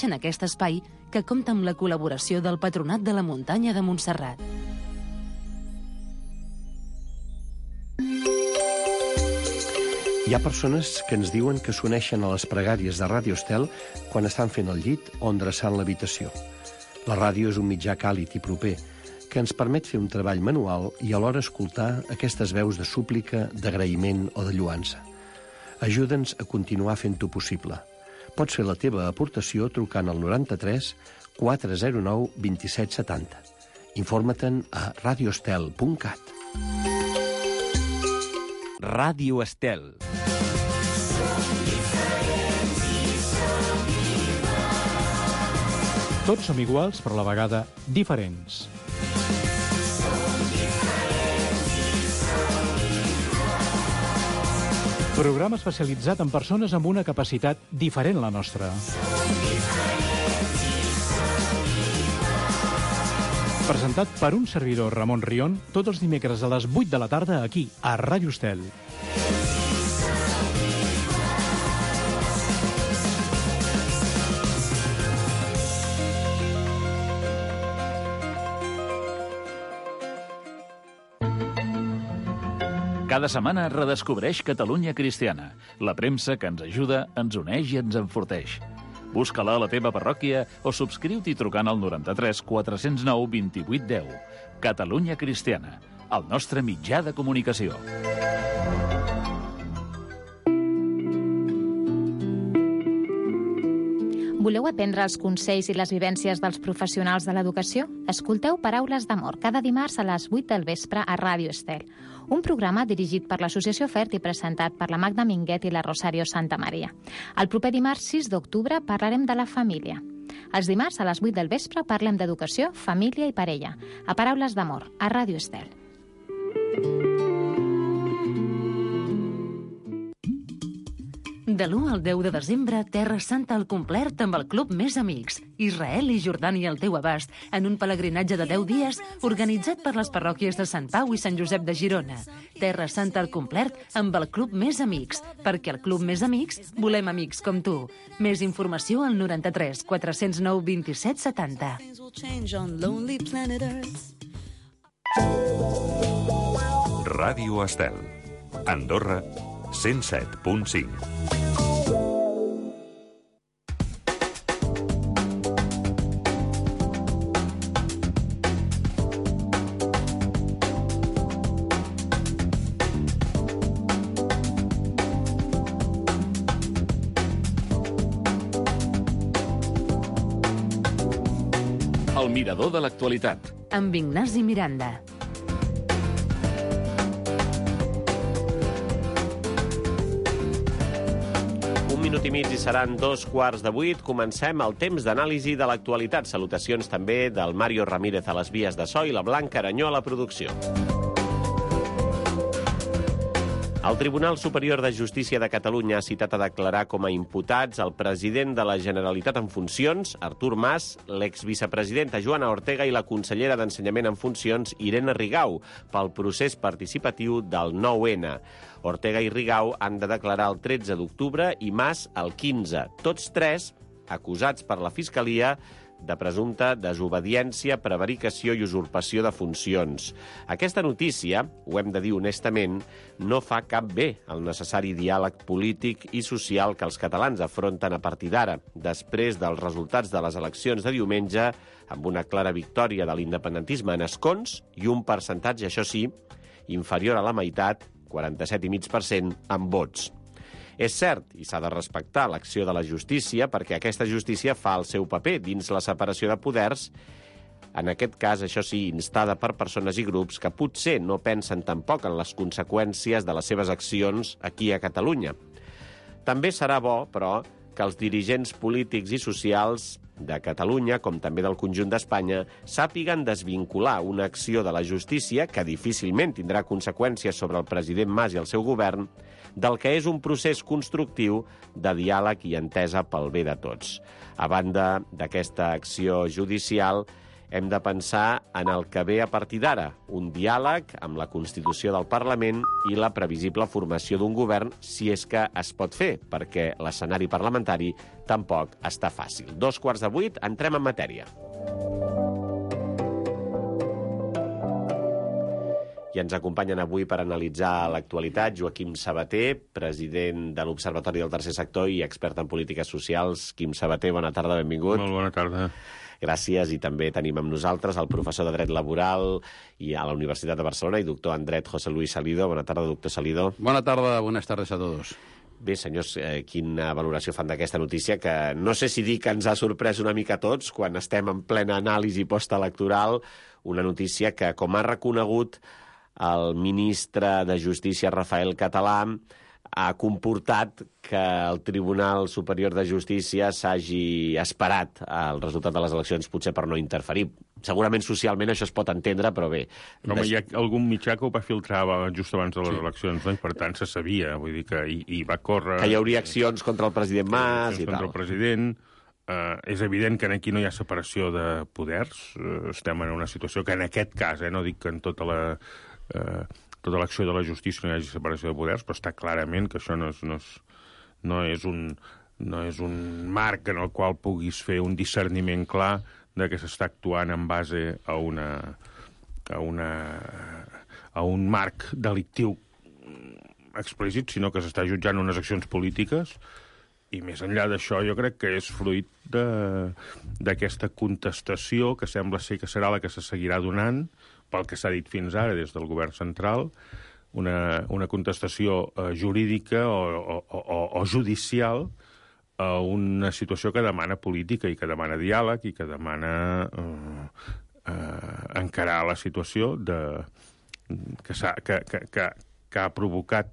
en aquest espai que compta amb la col·laboració del Patronat de la Muntanya de Montserrat. Hi ha persones que ens diuen que s'uneixen a les pregàries de Ràdio Estel quan estan fent el llit o endreçant l'habitació. La ràdio és un mitjà càlid i proper que ens permet fer un treball manual i alhora escoltar aquestes veus de súplica, d'agraïment o de lluança. Ajuda'ns a continuar fent-ho possible. Pots fer la teva aportació trucant al 93 409 2770. Informa-te'n a radioestel.cat. Ràdio Estel. Tots som iguals, però a la vegada diferents. Programa especialitzat en persones amb una capacitat diferent a la nostra. Presentat per un servidor, Ramon Rion, tots els dimecres a les 8 de la tarda aquí, a Ràdio Estel. Cada setmana redescobreix Catalunya Cristiana, la premsa que ens ajuda, ens uneix i ens enforteix. Busca-la a la teva parròquia o subscriu-t'hi trucant al 93 409 28 10. Catalunya Cristiana, el nostre mitjà de comunicació. Voleu aprendre els consells i les vivències dels professionals de l'educació? Escolteu Paraules d'Amor cada dimarts a les 8 del vespre a Ràdio Estel. Un programa dirigit per l'Associació FERT i presentat per la Magda Minguet i la Rosario Santamaria. El proper dimarts 6 d'octubre parlarem de la família. Els dimarts a les 8 del vespre parlem d'educació, família i parella. A Paraules d'Amor, a Ràdio Estel. De l'1 al 10 de desembre, Terra Santa al complet amb el Club Més Amics. Israel i Jordània al teu abast, en un pelegrinatge de 10 dies organitzat per les parròquies de Sant Pau i Sant Josep de Girona. Terra Santa al complet amb el Club Més Amics, perquè al Club Més Amics volem amics com tu. Més informació al 93 409 27 70. Ràdio Estel. Andorra, 107.5. El mirador de l'actualitat. Amb Ignasi Miranda. Un minut i mig i seran 7:15. Comencem el temps d'anàlisi de l'actualitat. Salutacions també del Mario Ramírez a les vies de so i la Blanca Aranyó a la producció. El Tribunal Superior de Justícia de Catalunya ha citat a declarar com a imputats el president de la Generalitat en funcions, Artur Mas, l'exvicepresidenta Joana Ortega i la consellera d'Ensenyament en funcions, Irene Rigau, pel procés participatiu del 9-N. Ortega i Rigau han de declarar el 13 d'octubre i Mas el 15. Tots tres acusats per la Fiscalia de presumpta desobediència, prevaricació i usurpació de funcions. Aquesta notícia, ho hem de dir honestament, no fa cap bé al necessari diàleg polític i social que els catalans afronten a partir d'ara, després dels resultats de les eleccions de diumenge, amb una clara victòria de l'independentisme en escons i un percentatge, això sí, inferior a la meitat, 47,5% en vots. És cert, i s'ha de respectar l'acció de la justícia, perquè aquesta justícia fa el seu paper dins la separació de poders, en aquest cas, això sí, instada per persones i grups que potser no pensen tampoc en les conseqüències de les seves accions aquí a Catalunya. També serà bo, però, que els dirigents polítics i socials de Catalunya, com també del conjunt d'Espanya, sàpiguen desvincular una acció de la justícia, que difícilment tindrà conseqüències sobre el president Mas i el seu govern, del que és un procés constructiu de diàleg i entesa pel bé de tots. A banda d'aquesta acció judicial, hem de pensar en el que ve a partir d'ara, un diàleg amb la Constitució del Parlament i la previsible formació d'un govern, si és que es pot fer, perquè l'escenari parlamentari tampoc està fàcil. 7:15, entrem en matèria. I ens acompanyen avui per analitzar l'actualitat Joaquim Sabater, president de l'Observatori del Tercer Sector i expert en polítiques socials. Quim Sabater, bona tarda, benvingut. Molt bona tarda. Gràcies, i també tenim amb nosaltres el professor de Dret Laboral i a la Universitat de Barcelona i doctor en Dret, José Luis Salido. Bona tarda, doctor Salido. Bona tarda, buenas tardes a todos. Bé, senyors, quina valoració fan d'aquesta notícia, que no sé si dir que ens ha sorprès una mica a tots quan estem en plena anàlisi postelectoral, una notícia que, com ha reconegut el ministre de Justícia, Rafael Català, ha comportat que el Tribunal Superior de Justícia s'hagi esperat al resultat de les eleccions, potser per no interferir. Segurament socialment això es pot entendre, però bé. Home, hi ha algun mitjà que ho va filtrar just abans de les eleccions, no? I per tant se sabia, vull dir que hi va córrer... Que hi hauria accions contra el president Mas i tal. Contra el president. És evident que aquí no hi ha separació de poders. Estem en una situació que en aquest cas, no dic que en tota l'acció de la justícia no hi hagi separació de poders, però està clarament que això no és un marc en el qual puguis fer un discerniment clar de que s'està actuant en base a un marc delictiu explícit, sinó que s'està jutjant unes accions polítiques. I més enllà d'això, jo crec que és fruit d'aquesta contestació que sembla ser que serà la que se seguirà donant, pel que s'ha dit fins ara des del govern central, una contestació jurídica o judicial a una situació que demana política i que demana diàleg i que demana encarar la situació que ha provocat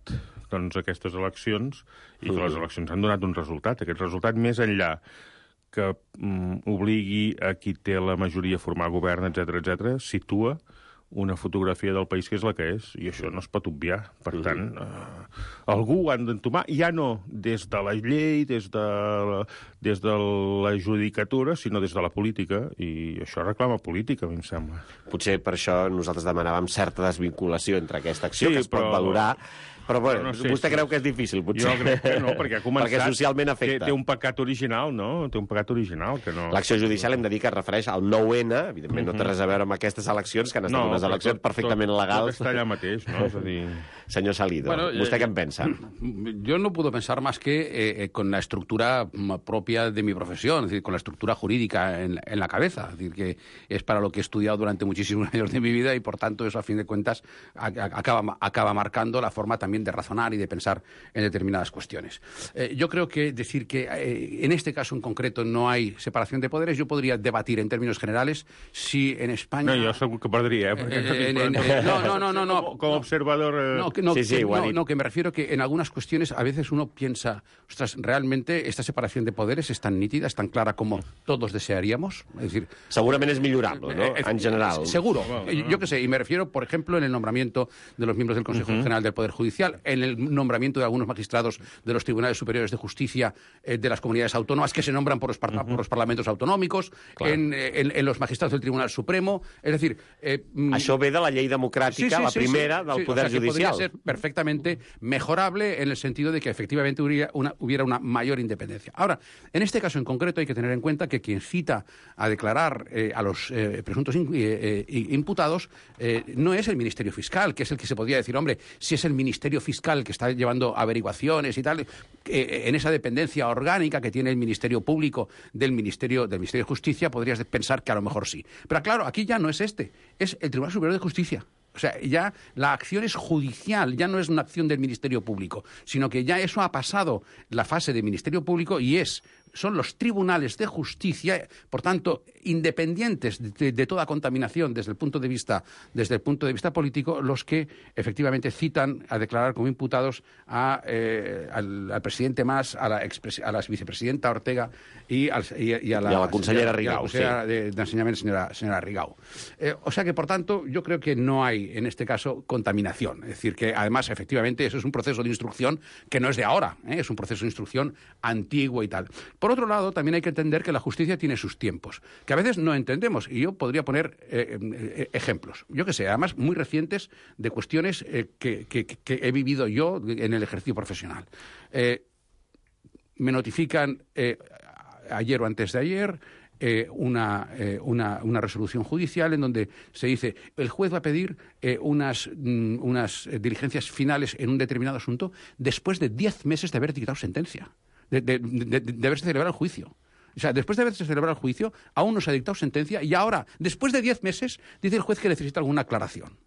aquestes eleccions i que les eleccions han donat un resultat. Aquest resultat, més enllà que obligui a qui té la majoria a formar govern, etc., situa una fotografia del país que és la que és, i això no es pot obviar. Per tant, algú ho han d'entomar, ja no des de la llei, des de la judicatura, sinó des de la política, i això reclama política, a mi em sembla. Potser per això nosaltres demanàvem certa desvinculació entre aquesta acció, que es pot valorar, però bueno, vostè creu que és difícil, potser? Jo crec que no, perquè ha començat... Perquè socialment afecta. Té un pecat original, no? Té un pecat original que no... L'acció judicial hem de dir que es refereix al 9-N, evidentment no té res a veure amb aquestes eleccions, que han estat unes eleccions perfectament legals. Tot està allà mateix, no? És a dir... Señor Salido, ¿usted qué piensa? Yo no puedo pensar más que con la estructura propia de mi profesión, es decir, con la estructura jurídica en la cabeza, es decir, que es para lo que he estudiado durante muchísimos años de mi vida y, por tanto, eso, a fin de cuentas, acaba marcando la forma también de razonar y de pensar en determinadas cuestiones. Yo creo que decir que en este caso en concreto no hay separación de poderes, yo podría debatir en términos generales si en España... No, jo segur que perdria, No. Com observador... Que me refiero que en algunas cuestiones a veces uno piensa, ostras, realmente esta separación de poderes es tan nítida, es tan clara como todos desearíamos. Es decir, segurament és millorable, ¿no? En general. Seguro. Yo qué sé, y me refiero, por ejemplo, en el nombramiento de los miembros del Consejo General del Poder Judicial, en el nombramiento de algunos magistrados de los Tribunales Superiores de Justicia de las comunidades autónomas que se nombran por los parlamentos autonómicos, en los magistrados del Tribunal Supremo. Es decir... Això ve de la llei democràtica, la primera del Poder Judicial. Podría ser perfectamente mejorable en el sentido de que efectivamente hubiera una mayor independencia. Ahora, en este caso en concreto hay que tener en cuenta que quien cita a declarar a los presuntos imputados no es el Ministerio Fiscal, que es el que se podría decir, hombre, si es el Ministerio Fiscal que está llevando averiguaciones y tal, en esa dependencia orgánica que tiene el Ministerio Público del Ministerio de Justicia, podrías pensar que a lo mejor sí. Pero claro, aquí ya no es es el Tribunal Superior de Justicia. O sea, ya la acción es judicial, ya no es una acción del Ministerio Público, sino que ya eso ha pasado la fase del Ministerio Público y son los tribunales de justicia, por tanto, independientes de toda contaminación desde el punto de vista político, los que efectivamente citan a declarar como imputados al presidente Mas, a la vicepresidenta Ortega y a la consellera Rigau, la consellera de Enseñamiento, señora Rigau. O sea que, por tanto, yo creo que no hay, en este caso, contaminación. Es decir, que además, efectivamente, eso es un proceso de instrucción que no es de ahora, es un proceso de instrucción antiguo y tal. Por otro lado, también hay que entender que la justicia tiene sus tiempos, que a veces no entendemos. Y yo podría poner ejemplos, yo que sé, además muy recientes, de cuestiones que he vivido yo en el ejercicio profesional. Me notifican ayer o antes de ayer una resolución judicial en donde se dice el juez va a pedir unas diligencias finales en un determinado asunto después de 10 meses de haber dictado sentencia, de haberse celebrado el juicio. O sea, después de haberse celebrado el juicio, aún no se ha dictado sentencia y ahora, después de 10 meses, dice el juez que necesita alguna aclaración.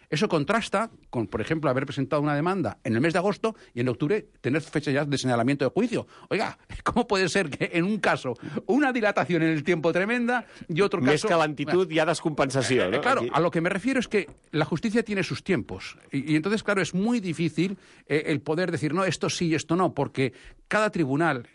Eso contrasta con, por ejemplo, haber presentado una demanda en el mes de agosto y en octubre tener fecha ya de señalamiento de juicio. Oiga, ¿cómo puede ser que en un caso una dilatación en el tiempo tremenda y otro caso... Més que lentitud hi ha descompensació, ¿no? Claro, a lo que me refiero es que la justicia tiene sus tiempos y entonces, claro, es muy difícil el poder decir, no, esto sí y esto no, porque cada tribunal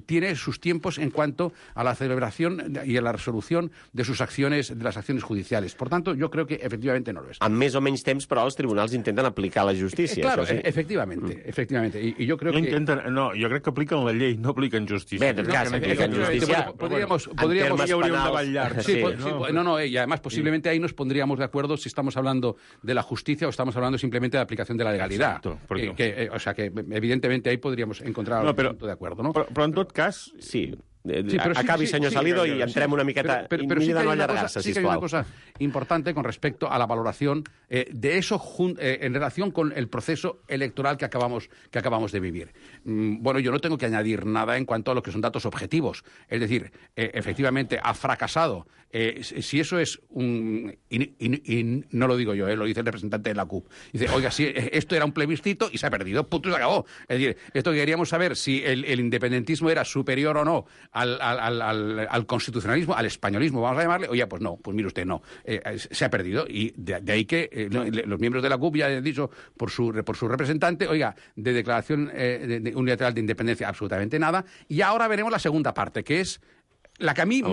tiene sus tiempos en cuanto a la celebración y a la resolución de sus acciones, de las acciones judiciales. Por tanto, yo creo que efectivamente no lo es. Amb més o menys temps, però els tribunals intenten aplicar la justícia. Claro, això sí. efectivamente. Y yo creo que... No, jo crec que apliquen la llei, no apliquen justícia. Bé, en tot cas, apliquen justícia. Podríamos hi hauria un debat llarg. Sí, y además posiblemente ahí nos pondríamos de acuerdo si estamos hablando de la justicia o estamos hablando simplemente de aplicación de la legalidad. Exacto, o sea que evidentemente ahí podríamos encontrar un punto de acuerdo, ¿no? Però en tot cas... Sí. Acabi, senyor Salido, i entrem una miqueta... Pero sí que hay una cosa importante con respecto a la valoración de eso en relación con el proceso electoral que acabamos de vivir. Bueno, yo no tengo que añadir nada en cuanto a lo que son datos objetivos. Es decir, efectivamente ha fracasado. Si eso es y no lo digo yo, lo dice el representante de la CUP. Dice, oiga, si esto era un plebiscito y se ha perdido, punto, se acabó. Es decir, esto queríamos saber si el independentismo era superior o no al constitucionalismo, al españolismo, vamos a llamarle, oye, pues no, pues mire usted, no, se ha perdido. Y de ahí que los miembros de la CUP ya han dicho por su representante, oiga, de declaración unilateral de independencia, absolutamente nada. Y ahora veremos la segunda parte, que es la que a mí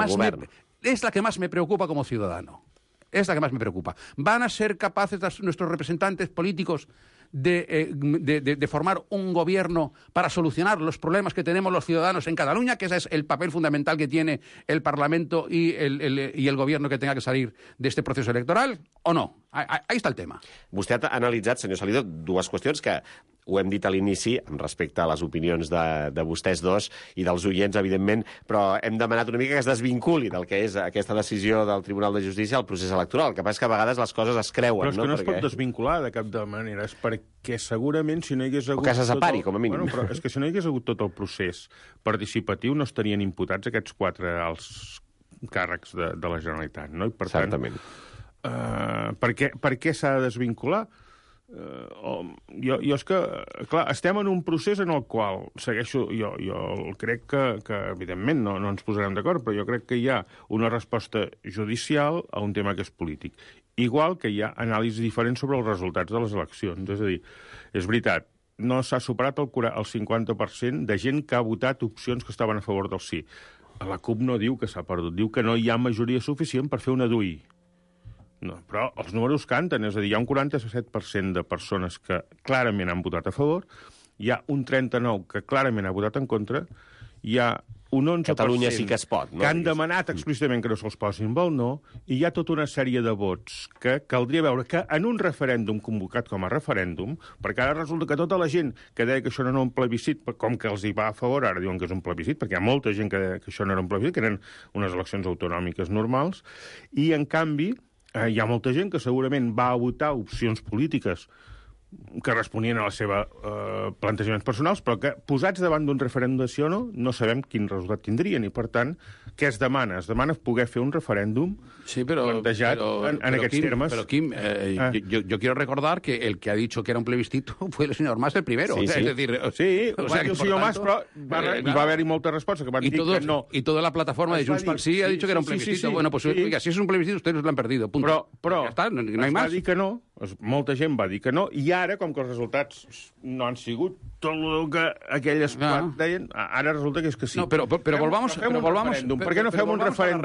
es la que más me preocupa como ciudadano. Es la que más me preocupa. ¿Van a ser capaces nuestros representantes políticos de formar un gobierno para solucionar los problemas que tenemos los ciudadanos en Cataluña, que ese es el papel fundamental que tiene el Parlamento y el gobierno que tenga que salir de este proceso electoral, o no? Ahí está el tema. Vostè ha analitzat, senyor Salido, dues qüestions que ho hem dit a l'inici, amb respecte a les opinions de vostès dos i dels oients, evidentment, però hem demanat una mica que es desvinculi del que és aquesta decisió del Tribunal de Justícia al procés electoral. El que passa és que a vegades les coses es creuen. Però és que no es pot desvincular de cap de manera. És perquè segurament si no hi hagués hagut... O que se separi, com a mínim. Bueno, però és que si no hi hagués hagut tot el procés participatiu no estarien imputats aquests 4 alts càrrecs de la Generalitat, no? I per Certament. Per què s'ha de desvincular? Jo és que, clar, estem en un procés en el qual segueixo, jo crec que evidentment no ens posarem d'acord, però jo crec que hi ha una resposta judicial a un tema que és polític. Igual que hi ha anàlisis diferents sobre els resultats de les eleccions. És a dir, és veritat, no s'ha superat el 50% de gent que ha votat opcions que estaven a favor del sí. La CUP no diu que s'ha perdut, diu que no hi ha majoria suficient per fer una DUI. No, però els números canten, és a dir, hi ha un 47% de persones que clarament han votat a favor, hi ha un 39% que clarament ha votat en contra, hi ha un 11% Catalunya sí que es pot, no? Que han demanat explícitament que no se'ls posin pel no, i hi ha tota una sèrie de vots que caldria veure que en un referèndum convocat com a referèndum, perquè ara resulta que tota la gent que deia que això no era un plebiscit, com que els hi va a favor, ara diuen que és un plebiscit, perquè hi ha molta gent que deia que això no era un plebiscit, que eren unes eleccions autonòmiques normals, i en canvi hi ha molta gent que segurament va a votar opcions polítiques que responien a la seva plantejaments personals, però que posats davant d'un referèndum de sí o no sabem quin resultat tindrien. I, per tant, què es demana? Es demana poder fer un referèndum plantejat en aquests termes. Pero, Quim, yo quiero recordar que el que ha dicho que era un plebiscito fue el señor Mas el primero. Sí, o sea, sí. Es decir, sí, o sea, el senyor Mas, però va haver-hi molta resposta que van dir que no. Y toda la plataforma de Junts pel Sí ha dicho que era un plebiscito. Bueno, pues oiga, si es un plebiscito, ustedes lo han perdido. Punto. Però ja està, no hay más. Va dir que no, molta gent va dir que no, i ara, com que els resultats no han sigut tot el que aquelles deien, ara resulta que és que sí. No, pero volvamos ¿Per què no fem un referèndum?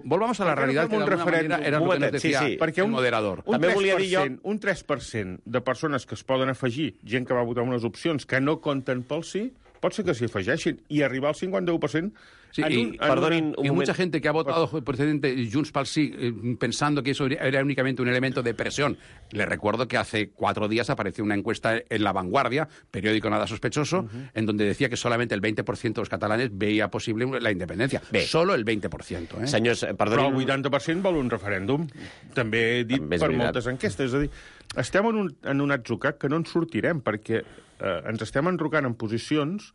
Volvamos a la realidad que de alguna manera era lo que nos decía el moderador. També volia dir jo... Un 3% de persones que es poden afegir, gent que va votar unes opcions que no compten pel sí, pot ser que s'hi afegeixin, i arribar al 51%... Sí, y mucha gente que ha votado precedente Junts pel Sí pensando que eso era únicamente un elemento de presión. Le recuerdo que hace 4 días apareció una encuesta en La Vanguardia, periódico nada sospechoso, en donde decía que solamente el 20% de los catalanes veía posible la independencia. Solo el 20%. Senyors, però el 80% vol un referèndum. També he dit per moltes enquestes. És a dir, estem en un atzucac que no en sortirem, perquè ens estem enrocant en posicions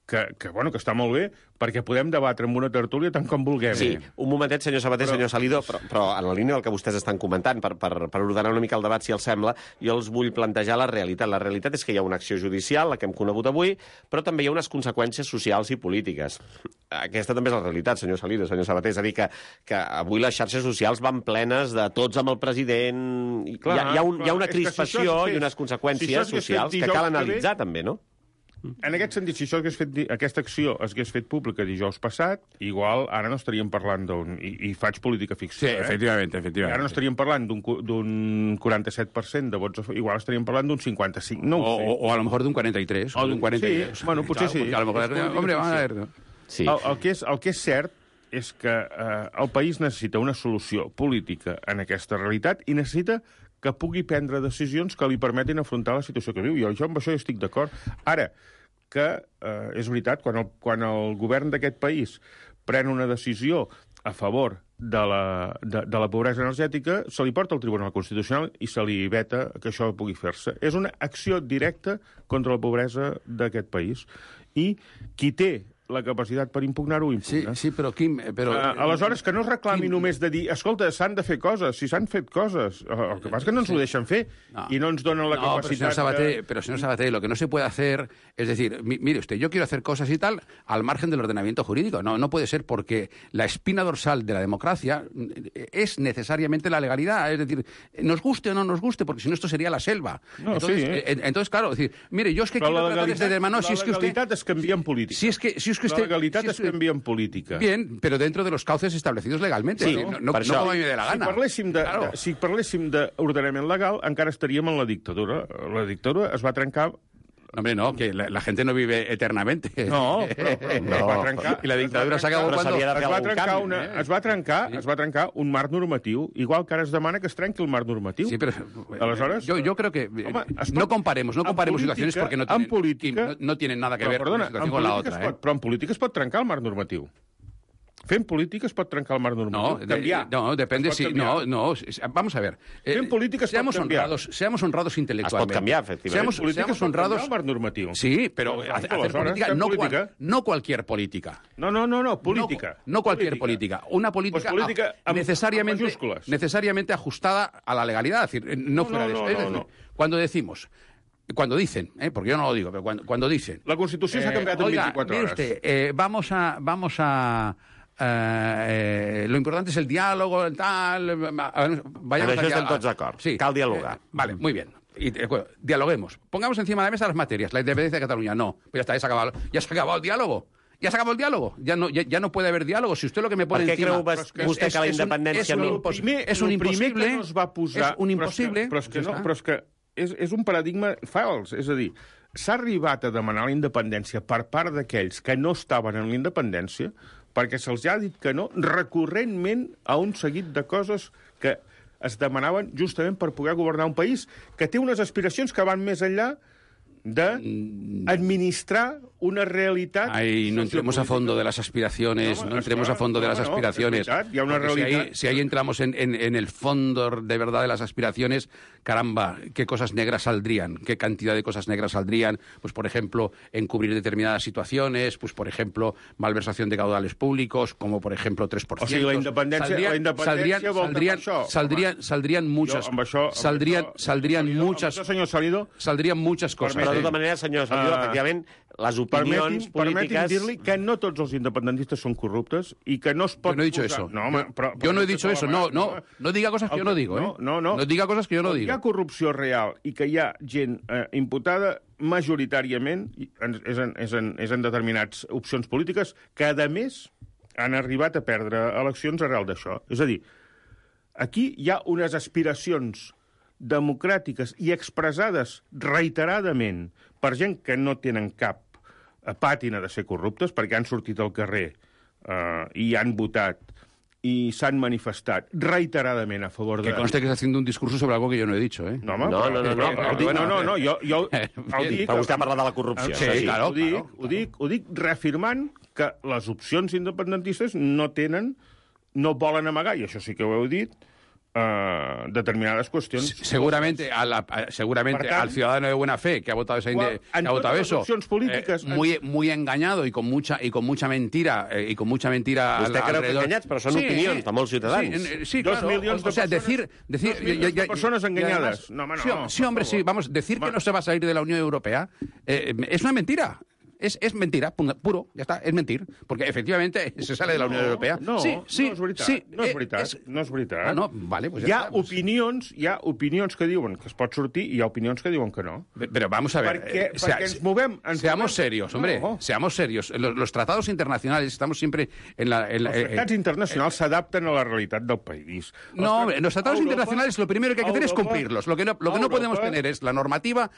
que està molt bé, perquè podem debatre amb una tertúlia tant com vulguem. Sí, un momentet, senyor Sabater, senyor Salido, però en la línia del que vostès estan comentant, per ordenar una mica el debat, si els sembla, jo els vull plantejar la realitat. La realitat és que hi ha una acció judicial, la que hem conegut avui, però també hi ha unes conseqüències socials i polítiques. Aquesta també és la realitat, senyor Salido, senyor Sabater. És a dir, que avui les xarxes socials van plenes de tots amb el president. Clar, hi ha una crispació i unes conseqüències socials que cal analitzar, també, no? En aquest sentit, si aquesta acció hagués fet pública dijous passat, igual ara no estaríem parlant i faig política ficció. Sí, efectivamente. Ara no estaríem parlant d'un 47% de vots, igual estaríem parlant d'un 55%. No ho sé. O a lo mejor d'un 43. O d'un 43. Sí, bueno, potser sí. A lo mejor, hombre, vamos a ver. Sí. El que és cert és que el país necessita una solució política en aquesta realitat i necessita que pugui prendre decisions que li permetin afrontar la situació que viu. Jo amb això estic d'acord. Ara, que és veritat, quan el govern d'aquest país pren una decisió a favor de la pobresa energètica, se li porta al Tribunal Constitucional i se li veta que això pugui fer-se. És una acció directa contra la pobresa d'aquest país. I qui té la capacitat per impugnar-ho, impugna. Sí, però Quim... Aleshores, que no es reclami només de dir escolta, s'han de fer coses, si s'han fet coses. El que pasa es que no ens ho deixen fer i no ens donen la capacitat... Pero, señor Sabater, lo que no se puede hacer es decir, mire usted, yo quiero hacer cosas y tal al margen del ordenamiento jurídico. No puede ser, porque la espina dorsal de la democracia es necesariamente la legalidad. Es decir, nos guste o no nos guste, porque si no esto sería la selva. Entonces, claro, es decir, mire, yo es que quiero tratar este tema... La legalitat es canvia en política. La legalitat es canvia en política. Bien, pero dentro de los cauces establecidos legalmente. Sí, no como a mí me dé la gana. Si parléssim d'ordenament legal, encara estaríem en la dictadura. La dictadura es va trencar... Hombre, no, que la gente no vive eternamente. No, però va trencar... I la dictadura s'acabó quan... Es va trencar un marc normatiu, igual que ara es demana que es trenqui el marc normatiu. Sí, pero... Aleshores... Yo creo que... No comparemos situaciones porque no tienen nada que ver una situación con la otra. Però en política es pot trencar el marc normatiu. Fent política es pot trencar el marc normatiu. No, depende si... No, vamos a ver. Fent política es pot canviar. Seamos honrados intelectualmente. Es pot canviar, efectivament. Seamos honrados... el marc normatiu. Sí, pero hacer política, no cualquier política. No, política. No cualquier política. Una política necesariamente ajustada a la legalidad. Es decir, no fuera de eso. Es decir, cuando dicen, porque yo no lo digo, pero cuando dicen... La Constitució s'ha canviat en 24 hores. Usted, vamos a lo importante es el diálogo, tal... Vayamos a estem tots d'acord. Sí. Cal dialogar. Vale, muy bien. Dialoguemos. Pongamos encima de la mesa las materias. La independencia de Cataluña, no. Pues ya está, ya se ha acabado el diálogo. Ja s'ha acabat el diàlogo. Ja no puede haver diàlogo. Si usted lo que me pone encima... Per què creu vostè que la independència... És un impossible. És un impossible. Però és que és un paradigma fals. És a dir, s'ha arribat a demanar la independència per part d'aquells que no estaven en la independència perquè se'ls ha dit que no recurrentment a un seguit de coses que es demanaven justament per poder governar un país que té unes aspiracions que van més enllà d'administrar una realitat... Ay, no entremos a fondo de las aspiraciones, no entremos a fondo de las aspiraciones. Hi ha una realitat... Si ahí entramos en el fondo de verdad de las aspiraciones, caramba, qué cosas negras saldrían, qué cantidad de cosas negras saldrían, pues por ejemplo, encubrir determinadas situaciones, pues por ejemplo, malversación de caudales públicos, como por ejemplo 3%. O sigui, la independència vol dir això. Saldrían muchas... Saldrían muchas... Senyor Salido... Saldrían muchas cosas. Però de tota manera, senyor Salido, efectivament, les opinions polítiques... Permeti'm dir-li que no tots els independentistes són corruptes i que no es pot... Yo no he dicho eso. Yo no he dicho eso. No diga cosas que yo no digo, ¿eh? No diga coses que jo no digo. Hi ha corrupció real i que hi ha gent imputada majoritàriament és en determinades opcions polítiques que, a més, han arribat a perdre eleccions arrel d'això. És a dir, aquí hi ha unes aspiracions democràtiques i expressades reiteradament per gent que no tenen cap pàtina de ser corruptes, perquè han sortit al carrer i han votat i s'han manifestat reiteradament a favor de... Que conste que está haciendo un discurso sobre algo que yo no he dicho, ¿eh? No, home, No, jo ho dic... Però vostè ha parlat de la corrupció. Sí, claro, ho dic reafirmant que les opcions independentistes no volen amagar, i això sí que ho heu dit, determinades qüestions. Seguramente al ciudadano de buena fe que ha votado eso, muy engañado y con mucha mentira Vostè creu que enganyats, però són opinions de molts ciutadans. Sí, claro. O sea, decir personas engañadas. No, home, no. Sí, hombre, sí. Vamos, decir que no se va a salir de la Unión Europea es una mentira. Es mentira, puro, ya está, es mentir. Porque efectivamente se sale de la Unión Europea. No és veritat. Ah, no, vale, pues hi ha opinions que diuen que es pot sortir i hi ha opinions que diuen que no. Pero vamos a ver... Perquè ens movem... Seamos serios, hombre, seamos serios. Los tratados internacionales, estamos siempre en la... Els tractats internacionals s'adapten a la realitat del país. No, hombre, los tratados internacionales lo primero que hay que hacer es cumplirlos. Lo que no podemos tener es la normativa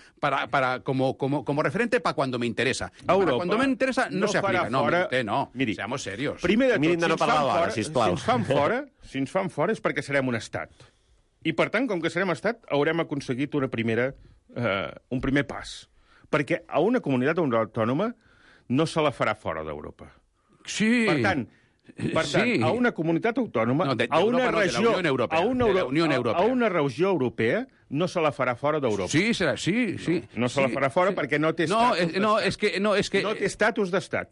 como referente para cuando me interesa. Cuando me interesa no se aplica. No, miri, seamos serios. Primer de tot, sisplau. si ens fan fora és perquè serem un estat. I, per tant, com que serem estat, haurem aconseguit un primer pas. Perquè a una comunitat autònoma no se la farà fora d'Europa. Sí. Per tant, a una comunitat autònoma, a una regió europea, no se la farà fora d'Europa. Sí, sí. No se la farà fora perquè no té estatus No té estatus d'estat.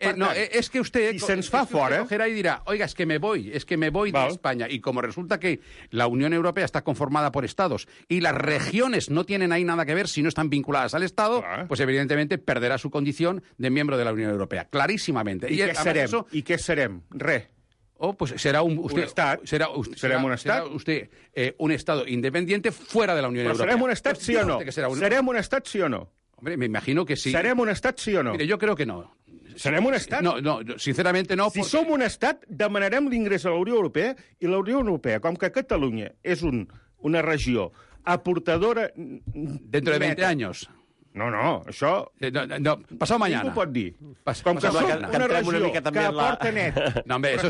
Es que usted... Si se'ns fa fora... cogerá y dirá, oiga, es que me voy de España. Y como resulta que la Unión Europea está conformada por estados y las regiones no tienen ahí nada que ver si no están vinculadas al Estado, pues evidentemente perderá su condición de miembro de la Unión Europea. Clarísimamente. I què serem? Res. Pues será un Estado independiente fuera de la Unión Europea. ¿Serem un Estat, sí o no? ¿Serem un Estat, sí o no? Hombre, me imagino que sí. ¿Serem un Estat, sí o no? Mire, yo creo que no. ¿Serem un Estat? No, sinceramente no. Si som un Estat, demanarem l'ingrés a la Unió Europea, i la Unió Europea, com que Catalunya és una regió aportadora... Dentro de 20 años... No, això... No, pasado mañana. Ningú pot dir. Com que som una regió que aporta net. No, hombre, eso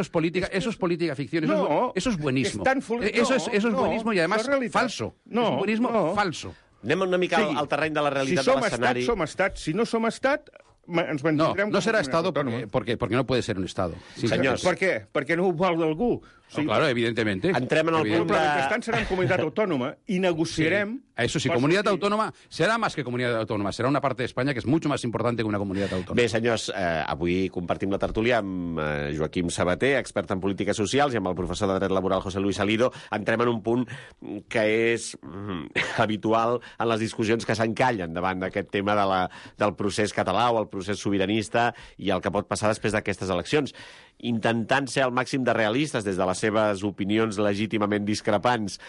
es política ficción. Eso es buenismo. Eso es buenismo y además falso. Es un buenismo falso. Anem una mica al terreny de la realitat de l'escenari. Si som estat, si no som estat, ens mantindrem... No será Estado porque no puede ser un Estado. Senyors. Per què? Perquè no ho vol d'algú. Claro, evidentemente. Entrem en el punt de... Però mentrestant serem comunitat autònoma i negociarem... Eso sí, comunidad autónoma será más que comunidad autónoma. Será una parte de España que es mucho más importante que una comunidad autónoma. Bé, senyors, avui compartim la tertúlia amb Joaquim Sabater, expert en polítiques socials, i amb el professor de dret laboral José Luis Salido. Entrem en un punt que és habitual en les discussions que s'encallen davant d'aquest tema del procés català o el procés sobiranista i el que pot passar després d'aquestes eleccions. Intentant ser al màxim de realistes des de les seves opinions legítimament discrepants,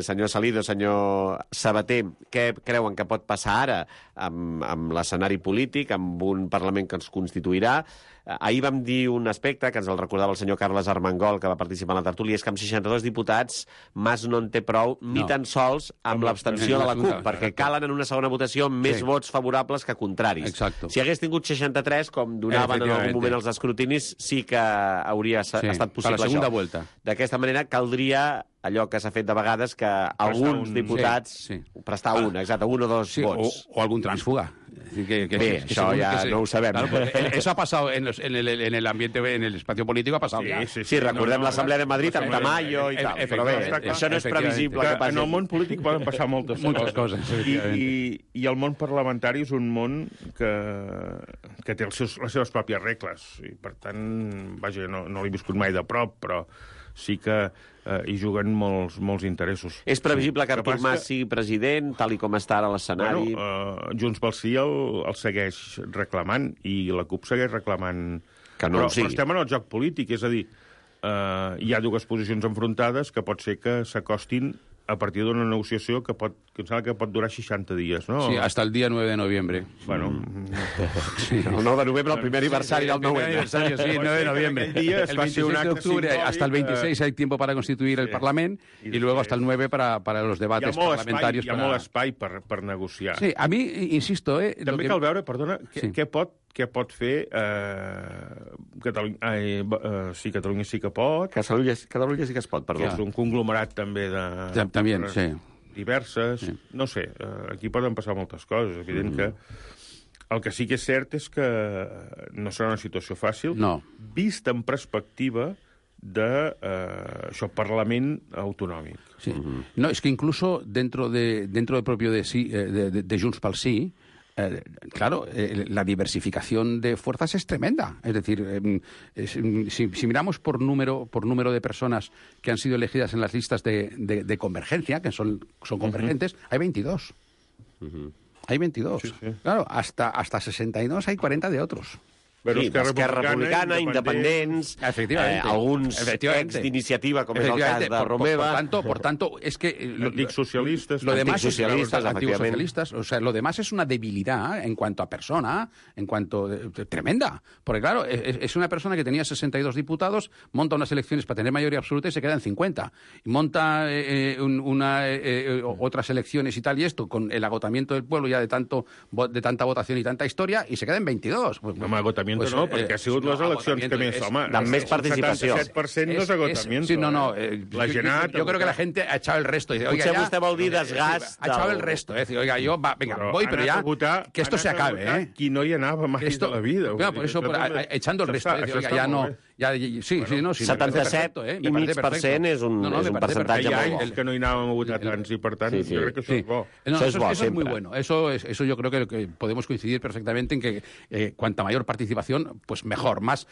senyor Salido, senyor Sabater, què creuen que pot passar ara amb l'escenari polític, amb un Parlament que ens constituirà? Ahir vam dir un aspecte que ens el recordava el senyor Carles Armengol, que va participar en la tertúlia, és que amb 62 diputats Mas no en té prou ni tan sols amb l'abstenció de la CUP, perquè calen en una segona votació més vots favorables que contraris. Exacto. Si hagués tingut 63, com donaven en algun moment els escrutinis, sí que hauria estat possible la segunda això. Vuelta. D'aquesta manera caldria allò que s'ha fet de vegades, que alguns diputats... Prestar un o dos vots. O algún tránsfuga. Bé, això ja no ho sabem. Claro, eso ha pasado en el ambiente, en el espacio político, ha pasado. Sí, recordem l'Assemblea de Madrid amb Tamayo i tal. Però bé, això no és previsible que passi. En el món polític poden passar moltes coses. I el món parlamentari és un món que té les seves pròpies regles. I, per tant, vaja, no l'he viscut mai de prop, però sí que hi juguen molts interessos. És previsible que Artur Mas sigui president, tal i com està ara l'escenari? Junts pel Sí el segueix reclamant i la CUP segueix reclamant que no ho sigui. Però estem en el joc polític, és a dir, hi ha dues posicions enfrontades que pot ser que s'acostin a partir d'una negociació que em sembla que pot durar 60 dies, no? Sí, hasta el día 9 de noviembre. Bueno... El 9 de novembre, el primer aniversari del 9 aniversario, sí, 9 de noviembre. El 26 de octubre hasta el 26 hay tiempo para constituir el Parlament y luego hasta el 9 para los debates parlamentarios. Hi ha molt espai per negociar. Sí, a mi, insisto... També cal veure, perdona, què pot fer Catalunya... Sí, Catalunya sí que pot. Catalunya sí que es pot, perdó. Que és un conglomerat també de... També, sí. Diverses. Sí. No sé, aquí poden passar moltes coses. És evident que el que sí que és cert és que no serà una situació fàcil. No. Vist en perspectiva de Parlament autonòmic. Sí. No, es que incluso dentro del propio de Junts pel Sí, claro, la diversificación de fuerzas es tremenda. Es decir, si miramos por número de personas que han sido elegidas en las listas de convergencia, que son convergentes, hay 22. Hay 22. Sí, sí. Claro, hasta 62 hay 40 de otros. Però sí, Esquerra Republicana, independents, alguns ex d'iniciativa, com és el cas de Romeva. Por tanto, es que... Anticsocialistas. Anticsocialistas. O sea, lo demás es una debilidad en cuanto a persona, tremenda. Porque, claro, es una persona que tenía 62 diputados, monta unas elecciones para tener mayoría absoluta y se queda en 50. Y monta otras elecciones y tal, y esto, con el agotamiento del pueblo ya de tanta votación y tanta historia, y se queda en 22. Pues, agotamiento pues, no, perquè ha sigut les eleccions que més... Home, amb més participació. El 77% no és agotamiento. Sí, no. La gent yo creo que la gente ha echado el resto. Potser vostè vol dir desgast... Ha echado el resto. Oiga, yo, venga, voy, pero ya, que esto se acabe. Qui no hi anava mai de la vida. Por eso, echando el resto. Oiga, ya no... Sí, 77,5% és un percentatge molt bo. Que no hi anàvem a votar tants i, per tant, jo crec que això és bo. Eso es muy bueno. Eso yo creo que podemos coincidir perfectamente en que cuanta mayor participación, pues mejor, más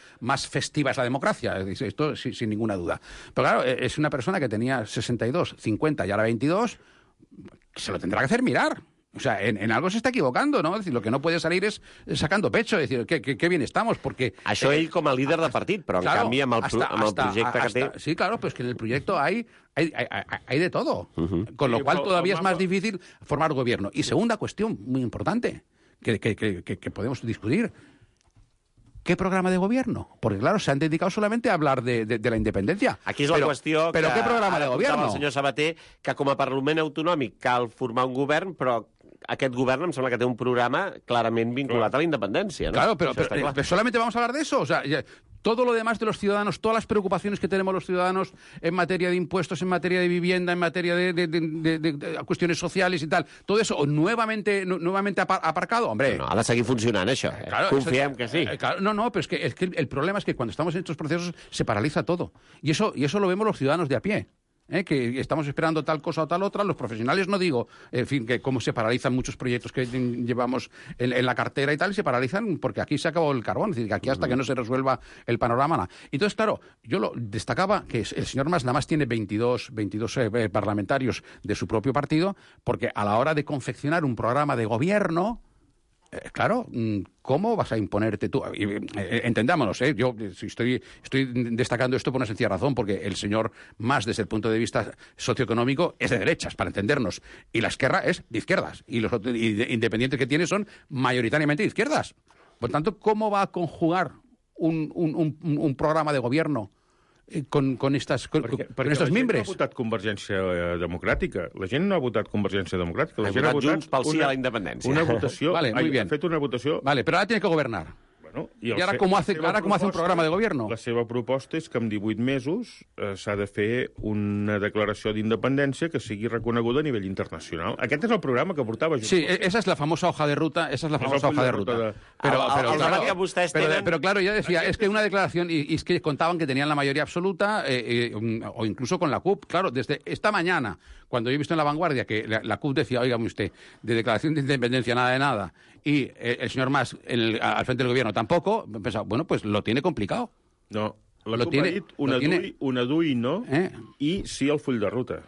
festiva es la democracia. Esto sin ninguna duda. Pero claro, es una persona que tenía 62, 50 y ahora 22, se lo tendrá que hacer mirar. O sea, en algo se está equivocando, ¿no? Es decir, lo que no puede salir es sacando pecho, es decir, qué bien estamos, porque... Això ell com a líder de partit, però en canvi amb el projecte que té... Sí, claro, pero es que en el proyecto hay de todo, con lo cual todavía es más difícil formar gobierno. Y segunda cuestión, muy importante, que podemos discutir, ¿qué programa de gobierno? Porque, claro, se han dedicado solamente a hablar de la independencia. Aquí és la qüestió però ¿qué programa de gobierno? El senyor Sabater, que com a Parlament autonòmic cal formar un govern, però aquest govern em sembla que té un programa clarament vinculat a la independència, ¿no? Claro, pero solamente vamos a hablar de eso. O sea, todo lo demás de los ciudadanos, todas las preocupaciones que tenemos los ciudadanos en materia de impuestos, en materia de vivienda, en materia de cuestiones sociales y tal, todo eso nuevamente aparcado, hombre. No, ha de seguir funcionant, això. Claro, confiem que sí. Claro, no, pero es que el problema es que cuando estamos en estos procesos se paraliza todo. Y eso lo vemos los ciudadanos de a pie. Que estamos esperando tal cosa o tal otra, los profesionales no digo, en fin, que cómo se paralizan muchos proyectos que llevamos en la cartera y tal, y se paralizan porque aquí se acabó el carbón, es decir, que aquí hasta que no se resuelva el panorama, nada. Entonces, claro, yo lo destacaba que el señor Mas nada más tiene 22 parlamentarios de su propio partido, porque a la hora de confeccionar un programa de gobierno, claro, ¿cómo vas a imponerte tú? Entendámonos, yo estoy destacando esto por una sencilla razón, porque el señor Mas, desde el punto de vista socioeconómico, es de derechas, para entendernos, y la Esquerra es de izquierdas, y los independientes que tiene son mayoritariamente de izquierdas. Por tanto, ¿cómo va a conjugar un programa de gobierno con estos mimbres? La gent no ha votat Convergència Democràtica. La gent no ha votat Convergència Democràtica. La gent ha votat Junts pel Sí a la independència. Una votació... Vale, muy bien. Ha fet una votació... Vale, pero ahora tiene que gobernar. Bueno, ¿Y ahora cómo hace un programa de gobierno? La seva proposta és que en 18 mesos s'ha de fer una declaració d'independència que sigui reconeguda a nivell internacional. Aquest és el programa que portava... Sí, esa es la famosa hoja de ruta. Pero claro, yo decía, es que una declaración, y es que contaban que tenían la mayoría absoluta, o incluso con la CUP. Claro, desde esta mañana, cuando yo he visto en La Vanguardia que la CUP decía, óigame usted, de declaración de independencia nada de nada, y el señor Mas al frente del gobierno tampoco, he pensado, bueno, pues lo tiene complicado. No, la CUP ha dit una DUI no, i sí al full de ruta.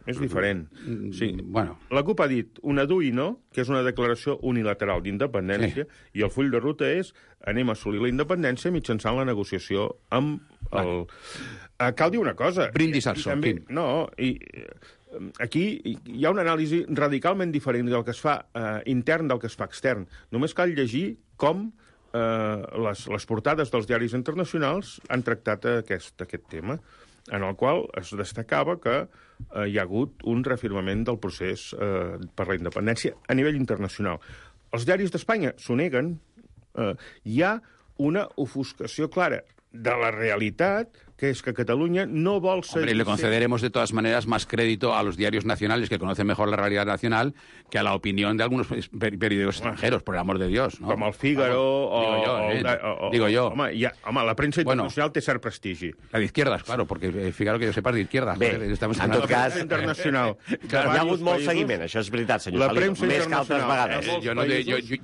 És diferent. Sí. Bueno. La CUP ha dit una DUI no, que és una declaració unilateral d'independència, i el full de ruta és anem a assolir la independència mitjançant la negociació amb Cal dir una cosa. Brindis al sol. Aquí hi ha una anàlisi radicalment diferent del que es fa intern del que es fa extern. Només cal llegir com les portades dels diaris internacionals han tractat aquest tema, en el qual es destacava que hi ha hagut un reafirmament del procés per la independència a nivell internacional. Els diaris d'Espanya s'ho neguen. Hi ha una ofuscació clara de la realitat, que es que Cataluña no vol seguir... Hombre, le concederemos de todas maneras más crédito a los diarios nacionales que conocen mejor la realidad nacional que a la opinión de algunos periódicos extranjeros, por el amor de Dios, ¿no? Com el Figaro Digo yo. Home, la premsa internacional té cert prestigi. La de izquierdas, claro, porque Figaro, que yo sepa, es de izquierdas. Bé, en tot cas, internacional. Hi ha hagut molt seguiment, això és veritat, senyor Salido, més que altres vegades.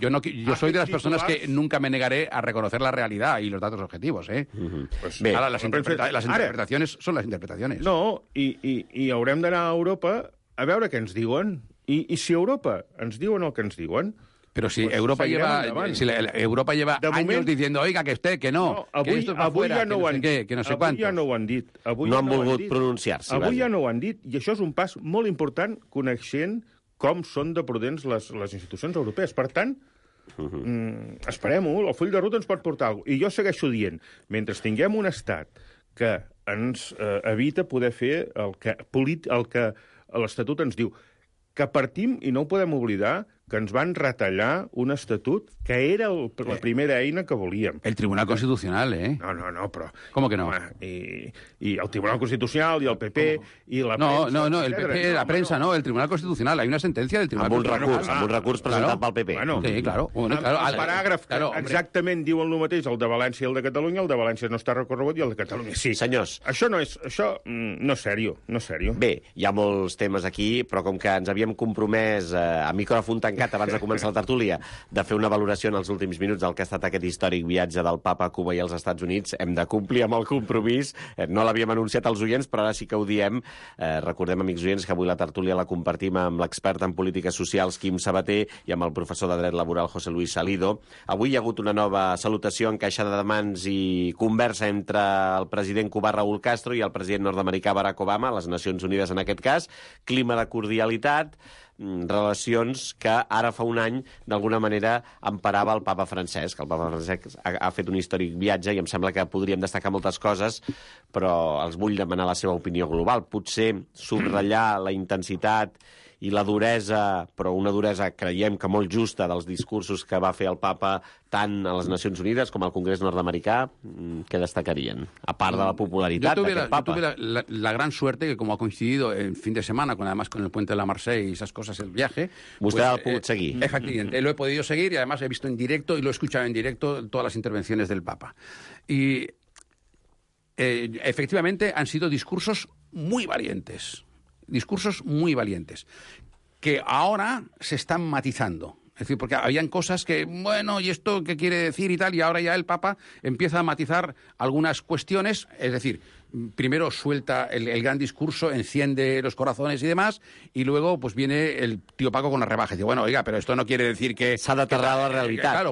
Yo soy de las personas que nunca me negaré a reconocer la realidad y los datos objetivos, ¿eh? Bé, ahora, las interpretaciones son las interpretaciones. No, i haurem d'anar a Europa a veure què ens diuen. I si a Europa ens diuen el que ens diuen... Pero si Europa lleva años diciendo, oiga, que usted, que no, que esto es para afuera, que no sé qué, que no sé cuántos. Avui ja no ho han dit. No han volgut pronunciar-se. Avui ja no ho han dit, i això és un pas molt important coneixent com són de prudents les institucions europees. Per tant, esperem-ho, el full de ruta ens pot portar alguna cosa. I jo segueixo dient, mentre tinguem un estat que ens evita poder fer el que l'Estatut ens diu, que partim, i no ho podem oblidar, que ens van retallar un estatut que era la primera eina que volíem. El Tribunal Constitucional, ¿eh? No, però... ¿Cómo que no? I el Tribunal Constitucional, i el PP, i la premsa... No, el PP, la prensa, no, el Tribunal Constitucional. Hay una sentencia del Tribunal Constitucional. Amb un recurs presentat pel PP. Sí, claro. El paràgraf que exactament diu el mateix, el de València i el de Catalunya, el de València no està recorregut i el de Catalunya sí. Senyors. Això no és sèrio, no és sèrio. Bé, hi ha molts temes aquí, però com que ens havíem compromès a micròfon tancat abans de començar la tertúlia de fer una valoració en els últims minuts del que ha estat aquest històric viatge del papa a Cuba i als Estats Units, hem de complir amb el compromís. No l'havíem anunciat als oients, però ara sí que ho diem. Recordem, amics oients, que avui la tertúlia la compartim amb l'expert en polítiques socials, Quim Sabater, i amb el professor de dret laboral, José Luis Salido. Avui hi ha hagut una nova salutació, encaixada de mans i conversa entre el president cubà Raúl Castro i el president nord-americà Barack Obama, a les Nacions Unides en aquest cas. Clima de cordialitat, relacions que ara fa un any d'alguna manera emparava el papa Francesc. El papa Francesc ha fet un històric viatge i em sembla que podríem destacar moltes coses, però els vull demanar la seva opinió global. Potser subratllar la intensitat i la duresa, però una duresa creiem que molt justa, dels discursos que va fer el papa tant a les Nacions Unides com al Congrés nord-americà. Què destacarien? A part de la popularitat d'aquest papa. Yo tuve la gran suerte que, como ha coincidido el fin de semana, además con el puente de la Marsella y esas cosas, el viaje... Usted ha podido seguir. Efectivamente, lo he podido seguir y además he visto en directo y lo he escuchado en directo todas las intervenciones del papa. Y efectivamente han sido discursos muy valientes. Discursos muy valientes, que ahora se están matizando. Es decir, porque habían cosas que, bueno, ¿y esto qué quiere decir y tal? Y ahora ya el Papa empieza a matizar algunas cuestiones, es decir, primero suelta el gran discurso, enciende los corazones y demás, y luego pues viene el tío Paco con la rebaja y dice, bueno, oiga, pero esto no quiere decir que... S'ha d'aterrar la realitat.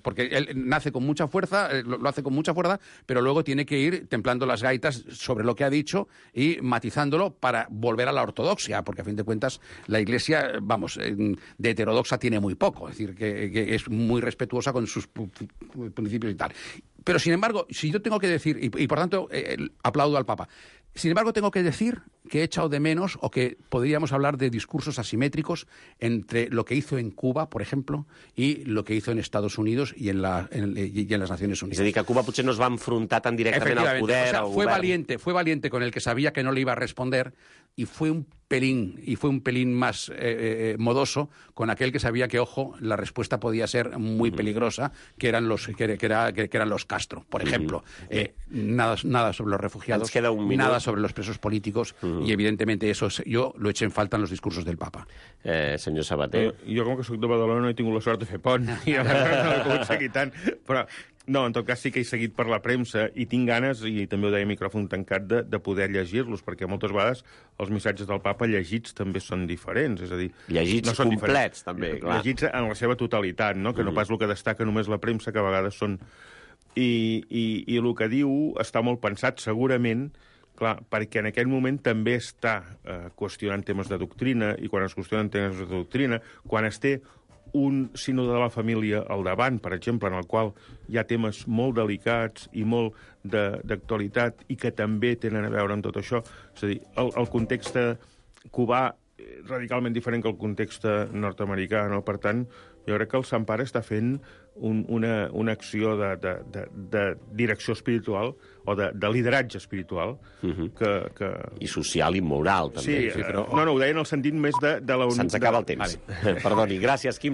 Porque él nace con mucha fuerza, lo hace con mucha fuerza, pero luego tiene que ir templando las gaitas sobre lo que ha dicho y matizándolo para volver a la ortodoxia, porque a fin de cuentas la Iglesia, vamos, de heterodoxa tiene muy poco, es decir, que es muy respetuosa con sus principios y tal. Pero, sin embargo, si yo tengo que decir, y por tanto aplaudo al Papa, sin embargo tengo que decir que he echado de menos, o que podríamos hablar de discursos asimétricos entre lo que hizo en Cuba, por ejemplo, y lo que hizo en Estados Unidos y en las Naciones Unidas. És a dir, que Cuba potser no es va enfrontar tan directament al poder, o sea, al govern. Fue valiente con el que sabía que no le iba a responder, y fue un pelín más modoso con aquel que sabía que, ojo, la respuesta podía ser muy peligrosa, que eran los Castro, por ejemplo. Nada sobre los refugiados, nada sobre los presos políticos, y evidentemente eso yo lo eché en falta en los discursos del Papa. Senyor Sabater. Jo, com que soc de Badalona, no he tingut la sort de fer pont, i aleshores no he pogut seguir tant, però... No, en tot cas sí que he seguit per la premsa i tinc ganes, i també ho deia a micròfon tancat, de poder llegir-los, perquè moltes vegades els missatges del papa llegits també són diferents, és a dir... Llegits no són complets, també, clar. Llegits en la seva totalitat, no? Que no pas el que destaca només la premsa, que a vegades són I el que diu està molt pensat, segurament, clar, perquè en aquell moment també està qüestionant temes de doctrina, i quan es qüestionen temes de doctrina, quan es té un sínode de la família al davant, per exemple, en el qual hi ha temes molt delicats i molt d'actualitat i que també tenen a veure amb tot això. És a dir, el context cubà radicalment diferent que el context nord-americà, no? Per tant, jo crec que el Sant Pare està fent una acció de direcció espiritual o de lideratge espiritual que... I social i moral, també. Sí, però... No, ho deia en el sentit més de la... Se'ns acaba el temps. Vale. Perdoni, gràcies, Quim.